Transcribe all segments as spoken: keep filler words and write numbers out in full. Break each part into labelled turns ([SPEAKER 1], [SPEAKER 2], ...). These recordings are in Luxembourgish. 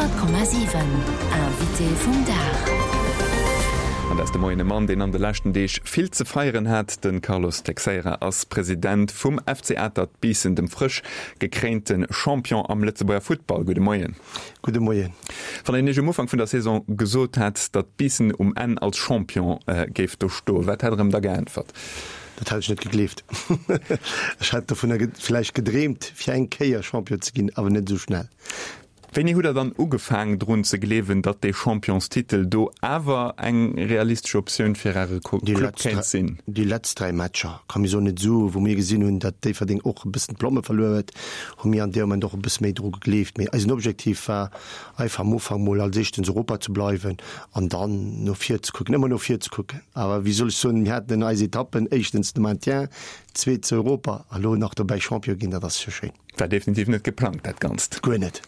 [SPEAKER 1] Honnert Komma siwen, Invité vum Dag.
[SPEAKER 2] An dat ass de Moien e Mann, deen an de leschten Deeg vill ze feieren hat. De Carlos Teixeira ass President vum F C Atert Biissen, dem frësch gekréinte Champion am Lëtzebuerger Futtball. Gudde Moien.
[SPEAKER 3] Gudde Moien.
[SPEAKER 2] Wann een Iech um Ufank vun der Saison gesot hätt, datt Biissen um Enn als Champion géif do stoen, wat hätt Der em da geäntwert?
[SPEAKER 3] Dat hätt ech net gegleeft. Ech hätt dovunner vläicht gedreemt, fir eng Kéier Champion ze ginn, awer net esou schnell.
[SPEAKER 2] Wéini hutt Der dann ugefaang drun ze gleewen, datt dee Championstitel do awer eng realistesch Optioun fir Äre Club kéint sinn?
[SPEAKER 3] Déi letzt dräi Matcher, kann mir soen, net esou, wou mir gesinn hunn, datt Déifferdeng och e bëssen d'Plomme verluer huet, hu mir an deem Moment och e bësse méi dru gegleeft. Mee eisen Objektiv war einfach am Ufank mol als éischtens Europa ze bleiwen an dann no vir ze kucken, ëmmer no vir ze kucken. Awer wéi soll ech soen, mir haten eis Etappen, éischtens de Maintien, zweetens Europa a lo nach dobäi Champion ginn, dat ass jo schéin.
[SPEAKER 2] War definitiv net geplangt, dat Ganzt.
[SPEAKER 3] Guer net.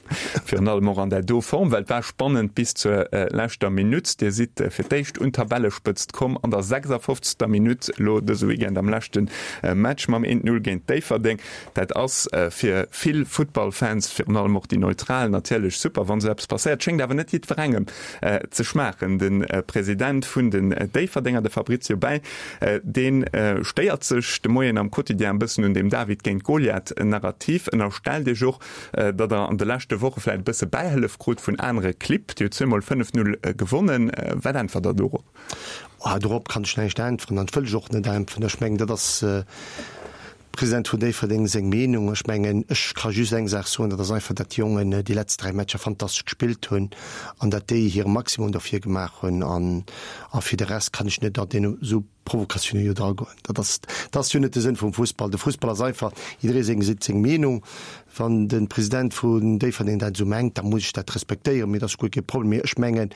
[SPEAKER 2] Virun allem och an där do Form, well et war spannend bis zur leschter Minutt. Dir sidd fir d'éischt un d'Tabellespëtzt komm an der sechsundfünfzigster Minutt, elo dëse Weekend am leschte Match mam eent Null géint Déifferdeng. Dat ass fir vill Futtballfans, virun allem och déi Neutral, natierlech super, wann esou eppes passéiert. Schéngt awer net jiddwerengem ze schmaachen. De President vun den Déifferdenger, de Fabrizio Bei, dee stéiert sech de Moien am Quotidien e bëssen un deem David géint Goliath-Narrativ. Ënnerstellt Iech och, datt Der an de leschte Woche vläicht e bësse Bäihëllef krut vun anere Clibb. Dir hutt zweemol fënnef Null gewonnen. Wat äntwert Der dorop?
[SPEAKER 3] Oh, dorop kann ech näischt äntweren an wëll ech och net äntweren. Ech mengen, dat ass President vun Déifferdeng seng Meenung. Ech mengen, ech ka just eng Saach soen, dat ass einfach, datt déi Jongen déi letzt dräi Matcher fantastesch gespillt hunn an datt déi hire Maximum dofir gemaach hunn. An, a fir de Rest kann ech net an deene esou Provokatioune jo dragoen. Dat ass, dat ass jo net de Sënn vum Fussball. De Fussball ass einfach, jidderee seng seet seng Meenung. Wann de President vun Déifferdeng dat esou mengt, da muss ech dat respektéieren, mee dat ass guer kee Problem. Mee ech mengen,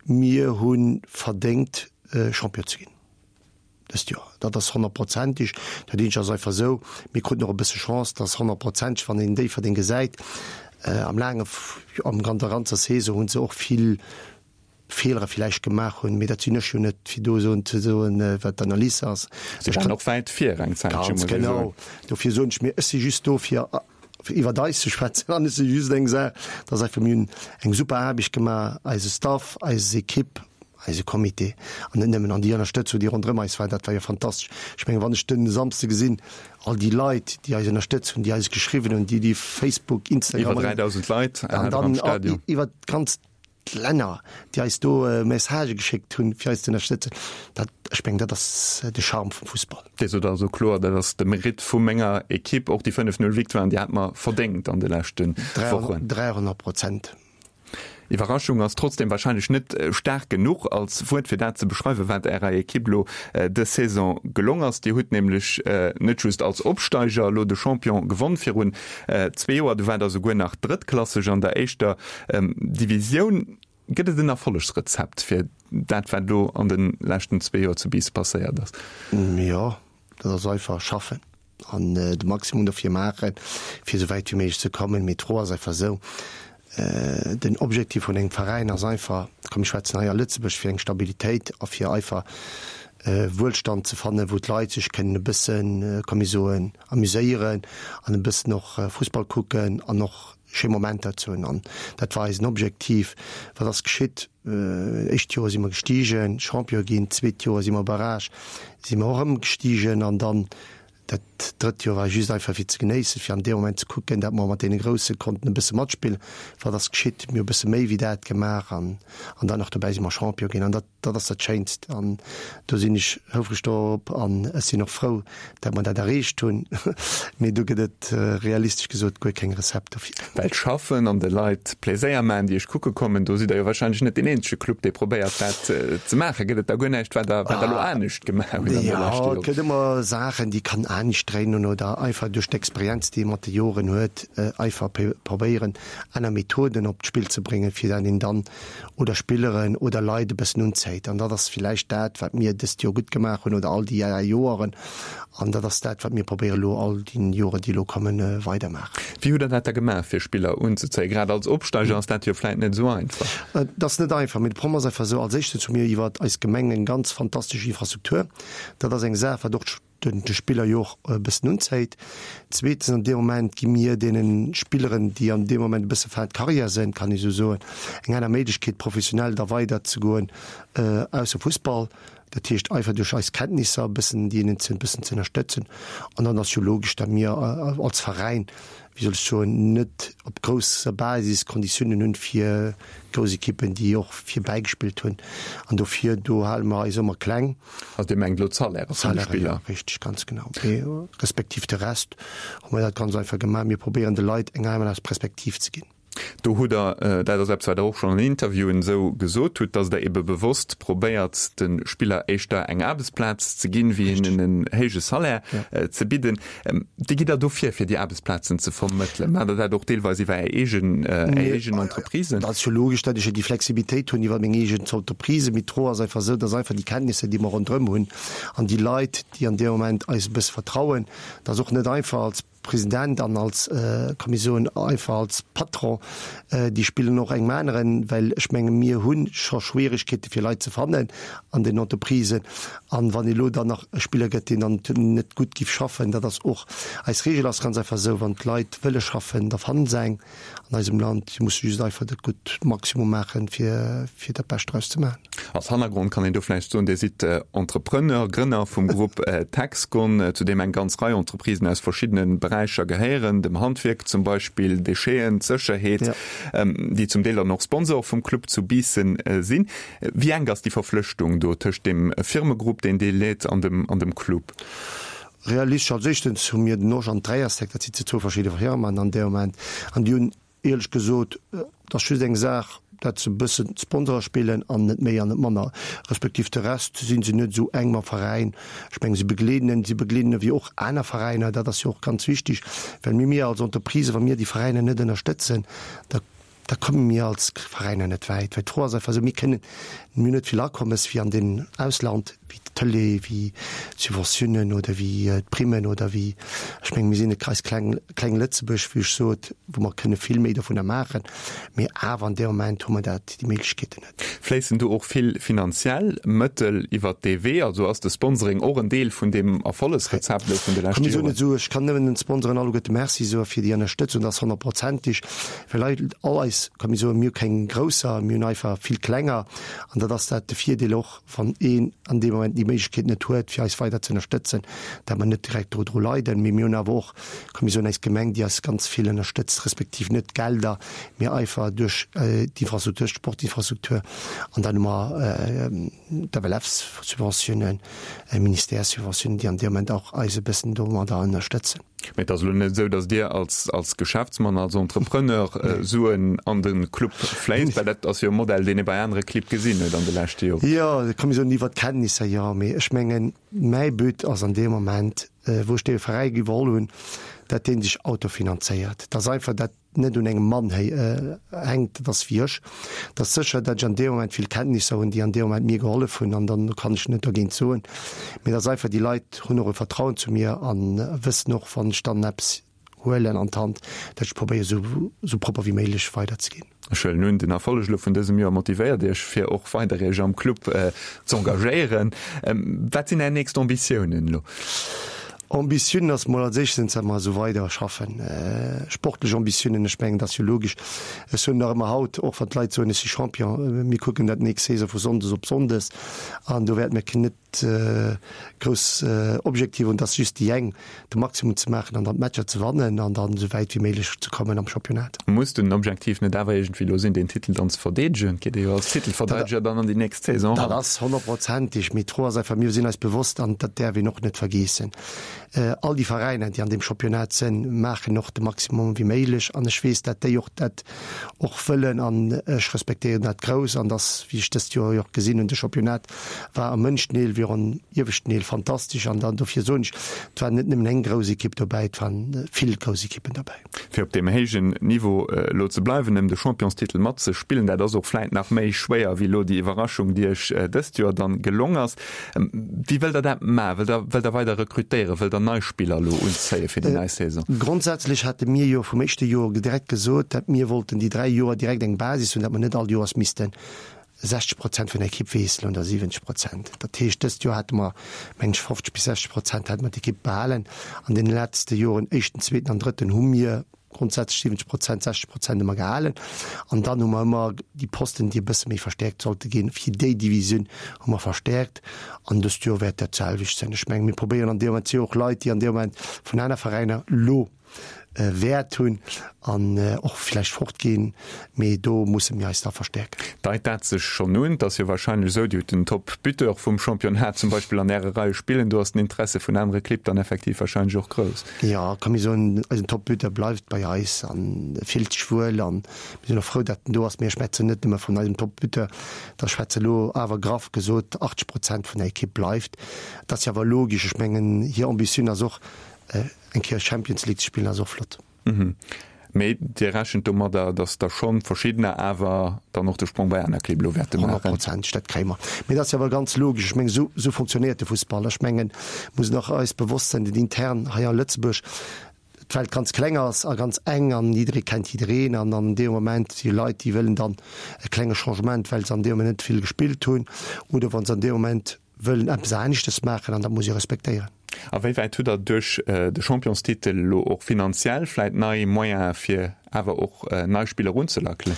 [SPEAKER 3] mir hu verdéngt, Champion ze ginn dëst Joer. Dat ass honnertprozenteg. Dat eenzegt ass einfach esou, mir kruten och e bësse Chance, dass honnertprozenteg, wann een Déifferdeng gesäit, am laange, am an der ganzer Saison hu se och vill Feelere villäicht gemaach hunn, mee dat sinn ech jo net, fir do soen ze soen, wat d'Analys ass.
[SPEAKER 2] Si waren och wäit vir eng Zäitche,
[SPEAKER 3] Ganz
[SPEAKER 2] muss ee soen.
[SPEAKER 3] genau. Dofir soen ech mir, ech si just do, fir iwwert eis ze schwätzen an ech si just eng Saach, dass einfach mir hunn eng super Aarbecht gemaach, eise Staff, eis Ekipp, eise Comité an net nëmmen, an déi Ënnerstëtzung, déi ronderëm eis war, dat war jo fantastesch. Ech mengen, wann ech de Samsde gesinn, all déi Leit, déi eis ënnerstëtzt hunn, déi eis geschriwwen hunn, déi déi Facebook, Instagram
[SPEAKER 2] Iwwer dräidausend Leit
[SPEAKER 3] an
[SPEAKER 2] hat der am
[SPEAKER 3] dann
[SPEAKER 2] Stadion.
[SPEAKER 3] iwwer d'ganz Länner, déi eis do Messagë geschéckt hunn, fir eis ze ënnerstëtzen, dat, ech mengen, dat ass de Charme vum Fussball.
[SPEAKER 2] Dir sot also kloer, dat ass de Meritt vu menger Ekipp, och déi fënnef Null Victoire, déi hat mer verdéngt an de leschte Wochen.
[SPEAKER 3] Dräihonnert Prozent.
[SPEAKER 2] Iwwerraschung ass trotzdem wahrscheinlech net staark genuch als Wuert fir dat ze beschreiwen, wat Ärer Ekipp elo dës Saison gelong ass. Dir hutt nämlech net just als Opsteiger elo de Champion gewonn virun zwee Joer, du waart der souguer nach drëttklasseg an der éischter Divisioun. Gëtt et en Erfollegsrezept fir dat, wat elo an de leschten zwee Joer zu Biissen passéiert ass?
[SPEAKER 3] Jo, dat ass einfach schaffen an de Maximum dofir maachen, fir esou wäit wéi méiglech ze kommen. Mee d'Fro ass einfach esou, den Objektiv vun engem Veräin ass einfach, komm mir schwätzen hei a Lëtzebuerg, fir eng Stabilitéit a fir einfach Wuelstand ze fannen, wou d'Leit sech kënnen e bëssen, komm mir soen, amuséieren an e bëssen och Fussball kucken an och schéi Momenter ze hunn. An dat war eisen Objektiv. Wat ass geschitt? Éischt Joer si mer gestigen, Champion ginn, zweet Joer si mer Barrage, si mer och erëm gestigen an dann dat drëtt Joer war just einfach fir ze genéissen, fir an deem Moment ze kucken, dat mer mat deene Grousse konnten e bësse matspillen. Wat ass geschitt? Mir hu e bësse méi wéi dat gemaach an, an dann nach dobäi si mer Champion ginn. An dat, dat ass dat Schéinst. An do sinn ech houfreg dorop an ech sinn och frou, dat mer dat erreecht hunn. Mee do gëtt et realistesch gesot guer keng Rezept dofir.
[SPEAKER 2] Well schaffen an de Leit Pleséier maachen, déi iech kucke kommen, do sidd Der jo wahrscheinlech net deen eenzege Club, dee probéiert dat ze maachen. Gëtt et da guer näischt, wat Der, wat Der elo anescht gemaach hutt an de
[SPEAKER 3] Jo,
[SPEAKER 2] leschte
[SPEAKER 3] et
[SPEAKER 2] Joren?
[SPEAKER 3] gëtt ëmmer Saachen, déi kann anescht dréinen oder einfach duerch d'Experienz, déi ee mat de Joren huet, einfach probéieren, aner Methoden op d'Spill ze bréngen, fir dat een dann oder Spilleren oder Leit e bëssen unzéit. An dat ass villäicht dat, wat mir dëst Joer gutt gemaach hunn oder all déi Joeren. An dat ass dat, wat mir probéieren elo all déi Joren, déi elo kommen, weidermaachen.
[SPEAKER 2] Wéi hutt Der dat da gemaach, fir Spiller unzezéien? Grad als Opsteiger ass dat jo vläicht net esou einfach.
[SPEAKER 3] Et ass net einfach, mee de Problem ass einfach esou, als éischtens hu mir iwwer eis Gemeng eng ganz fantastesch Infrastruktur. Dat ass eng Saach, wat och de Spiller jo och e bëssen unzéit. Zweetens, an deem Moment gi mir deene Spilleren, déi an deem Moment e bësse fin de carrière sinn, kann ech esou soen, eng aner Méiglechkeet, professionell da weiderzegoen ausser Fussball. Dat heescht einfach duerch eis Kenntnisser e bëssen déi ze e bëssen ze ënnerstëtzen. An dann ass jo logesch, datt mir als Veräin, wéi soll ech soen, net op grousser Basis Konditiounen hunn fir grouss Ekippen, déi och virbäigespillt hunn. An dofir, do hale mer eis ëmmer kleng.
[SPEAKER 2] Also Dir mengt elo d'Salaire vun de Spiller?
[SPEAKER 3] D'Salaire, jo, richteg, ganz genau. Mee respektiv de Rest hu mer dat ganz einfach gemaach. Mir probéieren de Leit eng aner Perspektiv ze ginn.
[SPEAKER 2] Do hutt Der, dat ass eppes, wat Der och schonn an Interviewen esou gesot hutt, datt Der ebe bewosst probéiert, de Spiller éischter eng Aarbechtsplaz ze ginn, wéi hinnen en héije Salaire ze bidden. Wéi gitt Der do vir, fir déi Aarbechtsplazen ze vermëttelen? Maacht Der dat och deelweis iwwer Är eegen, Är eegen Entreprisen?
[SPEAKER 3] Dat ass jo logesch, datt ech jo déi Flexibilitéit hunn iwwer meng eegen Entreprise. Mee d'Fro ass einfach esou, datt einfach déi Kenntnisser, déi mer ronderëm hunn, an déi Leit, déi an deem Moment eis e bësse vertrauen, dat ass och net einfach als President an als, kann ee soen, einfach als Patron, déi spillen och engem aneren, well ech menge mir hu scho Schwieregkeete fir Leit ze fannen an den Entreprisen. An wann elo dann nach e Spiller gëtt, deen dann net gutt giff schaffen, dat ass och, eis Regel ass ganz einfach esou, wann d'Leit wëlle schaffen, da fanne se eng an eisem Land. Si musse just einfach dat gutt Maximum maachen, fir fir dat Bescht draus ze maachen.
[SPEAKER 2] Als Hannergrond kann een do vläicht soen, Dir sidd Entrepreneur, Grënner vum Grupp Texcon, zu deem eng ganz Rei Entreprisen aus verschiddene Beräicher gehéieren, dem Handwierk zum Beispill, Décheten, d'Sécherheet, déi zum Deel dann och Sponsor vum Club zu Biissen sinn. Wéi enk ass déi Verflechtung do tëscht deem Firmegrupp, deen Dir leet, an dem an dem Club?
[SPEAKER 3] Realistesch, als éischtens hu mir den Osch an d'Dräierstack, dat si zwou verschidde Firmen an deem Moment, an déi hunn Éierlech gesot, et ass just eng Saach, dat se e bëssen d'Sponsorer spillen an net méi an net manner. Respektiv de Rest si se net esou enk mam Veräin. Ech mengen, se begleeden en, si begleeden ewéi och aner Veräiner. Dat ass jo och ganz wichtig, well mir, mir als Entreprise, wa mir déi Veräiner net ënnerstëtzen, da, da komme mir als Veräiner net wäit. Well d'Fro ass einfach esou, mir kënnen, mir hunn net vill Akommes wéi an den Ausland, wéi d'Tëlee, wéi d'Subventiounen oder wéi d'Primmen oder wéi, ech mengen, mir sinn e eist kleng, kleng Lëtzebuerg, wéi ech sot, wou mer kënne vill méi dovunner maachen, mee awer an deem Moment hu mer dat, déi Méiglechkeeten net.
[SPEAKER 2] Fléissen do och vill finanziell Mëttel iwwert dee Wee? Also ass de Sponsoring och en Deel vun deem Erfollegsrezept elo vun de leschte
[SPEAKER 3] Joren? Ech kann nëmmen den Sponsoren alleguerte Merci soe fir déi Ënnerstëtzung, dat ass honnertprozenteg, well all eis, kann ee soen, mir hu keng grousser, mir hunn einfach vill klenger an dat ass dat de Virdeel och, wann een an deem Moment déi Méiglechkeet net huet, fir eis weider ze ënnerstëtzen, dat mer net direkt dodru leiden. Mee mir hunn awer och, kann ee soen, eis Gemeng, déi eis ganz vill ënnerstëtzt, respektiv net Gelder, mee einfach duerch d'Infrastruktur, d'Sportinfrastruktur. An dann hu mer d'FLF-Subventiounen, Ministère-Subventiounen, déi an deem Moment och eis e bëssen domadder ënnerstëtzen.
[SPEAKER 2] Mee et ass elo net esou, datt Dir als, als Geschäftsmann, als Entrepreneur Suen an de Club fléisst, well dat ass jo e Modell, deen ee bei anere Clibb gesinn huet an de leschte Joren.
[SPEAKER 3] Jo, da komme mir soen iwwer d'Kenntnisser, jo. Mee ech mengen, mäi But ass an deem Moment, wou ech dee Veräi iwwerholl hunn, datt dee sech autofinanzéiert. Datt einfach dat net un engem Mann hänkt, dat ass wéi ech, et ass sécher, datt ech an deem Moment vill Kenntnisser hunn, déi an deem Moment mir gehollef hunn, an dann kann ech net dergéint soen, mee et ass einfach, déi Leit hunn och e Vertrauen zu mir a wëssen och, wann ech dann eppes huelen an d'Hand, datt ech probéiere sou sou propper wéi méiglech weiderzeginn.
[SPEAKER 2] Ech huelen un, den Erfolleg elo vun dësem Joer motivéiert Iech, fir och weider Iech am Club z'engagéieren. Wat sinn Är nächst Ambitiounen elo?
[SPEAKER 3] Ambitiounen ass mol als éischtens dat mer esou weider schaffen. Sportlech Ambitiounen, ech mengen, dat ass jo logesch. Ech soen nach ëmmer haut, och wann d'Leit soen, ech si Champion, mir kucken dat nächst Saison vu Sonndes op Sonndes an do wäerte mir net grouss Objektiver hunn, et ass just déi eng, de Maximum ze maachen an dann d'Matcher ze wannen an dann esou wäit wéi méiglech ze kommen am Championnat.
[SPEAKER 2] Muss den Objektiv net awer iergendwéi elo sinn, deen Titel dann ze verdeedegen? Et geet ee jo als Titelverdeideger dann an déi nächst Saison
[SPEAKER 3] eran. Dat ass honnertprozenteg, mee d'Fro ass einfach, mir sinn eis bewosst, an dat däerf een och net vergeessen, all déi Veräiner, déi an deem Championnat sinn, maachen och de Maximum wéi méiglech an ech weess, dat déi och dat och wëllen an ech respektéieren dat grouss an dass, wéi ech dëst Joer jo och gesinn hunn, de Championnat war am ënneschten Deel wéi och am ieweschten Deel fantastesch an dann dofir soen ech, et war net nëmmen eng grouss Ekipp dobäi, et waren vill grouss Ekippen dobäi.
[SPEAKER 2] Fir op deem héijen Niveau elo ze bleiwen, ëm de Championstitel matzespillen, dat ass och vläit nach méi schwéier wéi elo déi Iwwerraschung, déi Iech dëst Joer dann gelong ass. Wéi wëllt Der dat maachen? Wëllt Der, wëllt Der weider rekrutéieren? Wëllt Der nei Spiller elo unzéie fir déi nei Saison?
[SPEAKER 3] Grondsätzlech hate mir jo vum éischte Joer direkt gesot, datt mir wollten déi dräi Joer direkt eng Basis hunn, datt mer net all Joers missten sechzeg Prozent vun der Ekipp wiesselen oder siwwenzeg Prozent. Dat heescht, dëst Joer hate mer, meng ech, fofzeg bis sechzeg Prozent hate mer d'Ekipp behalen. An deene letzte Joren, éischten, zweeten an drëtten, hu mir grundsätzlech siwwenzeg Prozent, sechzeg Prozent ëmmer gehalen. An dann hu mer ëmmer déi Posten, déi e bësse méi verstäerkt sollte ginn, fir déi Divisioun hu mer verstäerkt. An dëst Joer wäert dat d'selwecht sinn. Ech mengen, mir probéieren an deem Moment, et si och Leit, déi an deem Moment vun aner Veräiner elo Wäert hunn an och vläicht fortginn, mee do musse mir eis da verstäerken.
[SPEAKER 2] Deit dat sech schonn un? Et ass jo warscheinlech esou, Dir hutt den Top-Buteur vum Championnat zum Beispill an Äre Reie spillen, do ass den Interesse vun anere Clibb dann effektiv warscheinlech och grouss.
[SPEAKER 3] Jo, ka mir soen, eisen Top-Buteur bleift bei eis an fillt sech wuel an mir sinn och frou, datt en do ass. Mee ech schwätzen net nëmme vun eisem Top-Buteur, da schwätze elo awer graff gesot achtzeg Prozent vun der Ekipp bleift. Dat ass jo awer logesch, ech mengen hir Ambitioun ass och, eng Kéier Champions League ze spillen ass och flott.
[SPEAKER 2] Mee Dir rechent domadder, datt der schonn verschiddener awer dann och de Sprong bei aner Clibb elo wäerte maachen?
[SPEAKER 3] Honnertprozenteg, dat kréie mer. Mee dat ass jo awer ganz logesch. Ech mengen, esou, esou fonctionnéiert de Fussball. Ech mengen, mussen och eis bewosst sinn, datt intern hei a Lëtzebuerg d'Welt ganz kleng ass a ganz eng an jidderee kennt jiddereen an an deem Moment si Leit, déi wëllen dann e klenge Changement, well se an deem Moment net vill gespillt hunn oder wa se an deem Moment wëllen eppes aneschtes maachen an dat muss ee respektéieren.
[SPEAKER 2] A wéi wäit hutt Der duerch de Championstitel elo och finanziell vläit nei Moyene fir awer och nei Spiller erunzelackelen?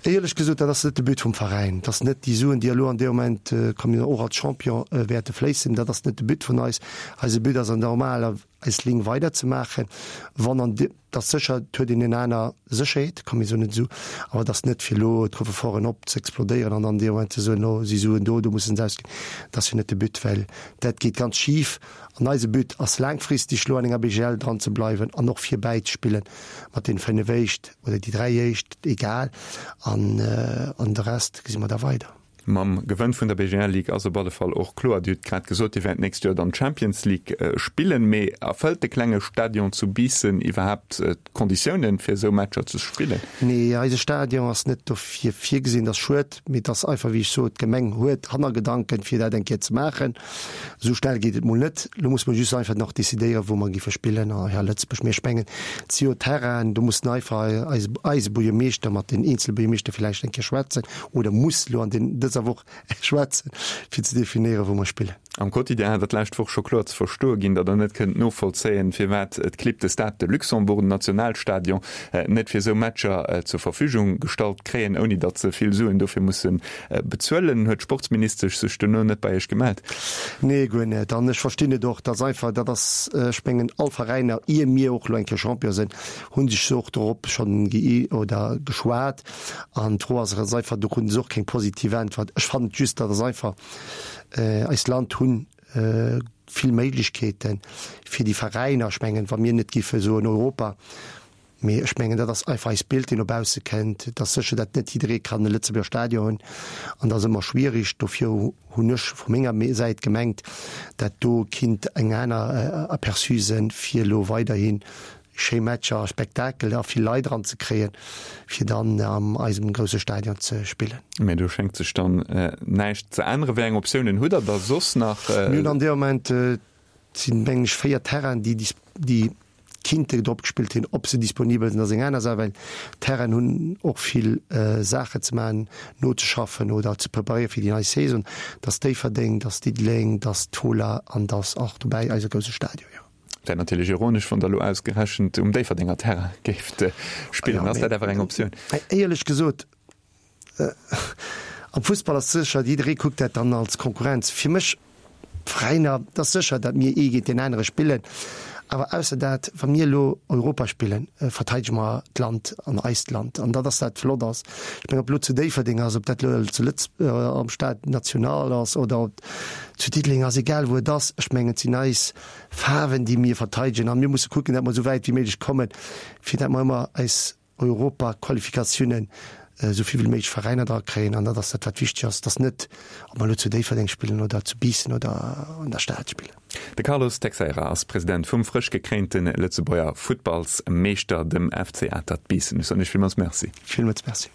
[SPEAKER 3] Éierlech gesot, dat ass net de But vum Veräin. Dat ass net déi Suen, déi elo an deem Moment kommen, och als Champion wäerte fléissen. Dat ass net de But vun eis. Eise But ass an der normaler eis Linn weiderzemaachen. Wann an dat ass sécher, et huet een eng aner Sécherheet, komm mir soen et esou, awer et ass net fir elo d'Coffreforten op ze explodéieren an dann dee Moment ze soen, oh si Suen do, do mussen se ausginn. Dat ass jo net de But, well dat geet ganz schif. An eise But ass laangfristeg elo an enger B G L dran ze bleiwen an och vir bäizespillen mat deene fënnef éischt oder déi dräi éischt, egal, an an de Rest gesi mer da weider.
[SPEAKER 2] Mam Gewënn vun der B G L Ligue ass op alle Fall och kloer, Dir hutt grad gesot, Dir wäert d'nächst Joer dann d'Champions League spillen, mee erfëllt de klenge Stadion zu Biissen iwwerhaapt d'Konditiounen, fir esou Matcher ze spillen?
[SPEAKER 3] Nee, eise Stadion ass net dofir virgesinn. Dat ass schued, mee et ass einfach, wéi ech sot, d'Gemeng huet Hannergedanken, fir dat eng Kéier ze maachen. Esou schnell geet et mol net. Elo musse mer just einfach nach decidéieren, wou mer géife spillen hei a Lëtzebuerg. Mee ech mengen, et si jo Terrainen, do mussen einfach eis eise Buergermeeschter mat den eenzele Buergermeeschter villäicht eng Kéier schwätzen oder muss elo an den dëser Woch schwätzen, fir ze definéieren, wou mer spillen.
[SPEAKER 2] Am Quotidien hat Der d'lescht Woch scho kloer ze verstoe ginn, datt Der net kënnt novollzéien, firwat d'Clibb de Stade de Luxembourg, den Nationalstadion, net fir esou Matcher zur Verfügung gestallt kréien, ouni datt se vill Suen dofir musse bezuelen. Huet d'Sportsministesch sech dono net bei Iech gemellt?
[SPEAKER 3] Nee, guer net. An ech verstinn et och, datt einfach, dat ass, ech mengen, all Veräiner, ier mir och elo eng Kéier Champion sinn, hu sech och dorop schonn ge oder geschwat. An d'Fro ass ganz einfach, do kruten se och keng positiv Äntwert. Ech fannen just, dat ass einfach, eist Land hunn vill Méiglechkeeten fir déi Veräiner. Ech mengen, wa mir net giffe soen Europa, mee ech mengen, dat ass einfach eist Bild, deen no bausse kënnt. Et ass sécher, datt net jidderee kann e Lëtzebuerger Stadion hunn an dat ass ëmmer schwierig. Dofir hunn ech vu menger Säit gemengt, dat do kinnt eng aner Aperçu sinn, fir elo weiderhi schéi Matcher a Spektakel a vill Leit eran ze kréien, fir dann am eisem grousse Stadion ze spillen.
[SPEAKER 2] Mä do schéngt sech dann näischt ze änneren. Wéi eng Optiounen hutt Der da soss nach?
[SPEAKER 3] Mir hunn an deem Moment, et sinn, mengen ech, véier Terrainen, déi déi kinnte drop gespillt hunn. Ob se disponibel sinn, ass eng aner Saach, well d'Terrainen hunn och vill Saache ze maachen, nozeschaffen oder ze preparéiere fir déi nei Saison. Et ass Déifferdeng, et ass Diddeleng, et ass d'Fola an et ass och dobäi eise grousse Stadion, jo.
[SPEAKER 2] Wär natierlech ironesch, wann Der elo ausgerechent um Déifferdenger Terrain géift spillen. Ass dat awer eng Optioun?
[SPEAKER 3] Éierlech gesot, am Fussball ass sécher, jidderee kuckt dat dann als Konkurrenz. Fir mech, d'Veräiner, et ass sécher, datt mir ee géint deen anere spillen. Awer ausser dat, wa mir elo Europa spillen, verteidege mer d'Land an eist Land. An dat ass dat flott ass. Ech mengen, ob elo zu Déifferdeng ass, ob dat elo zu Lëtz am Stade National ass oder ob zu Diddeleng ass, egal wou et ass, ech mengen, et sinn eis Faarwen, déi mir verteidegen. A mir musse kucken, datt mer esou wäit wéi méiglech kommen, fir datt mer ëmmer eis Europaqualifikatiounen esou vill wéi méiglech Veräiner dra kréien. An dat ass dat, wat wichteg ass. Et ass net, ob mer elo zu Déifferdeng spillen oder zu Biissen oder an der Stad spillen.
[SPEAKER 2] De Carlos Teixeira ass President vum frësch gekréinte Lëtzebuerger Futtballsmeeschter, dem F C Atert Biissen. Ech soen Iech villmools Merci.
[SPEAKER 3] Villmools Merci.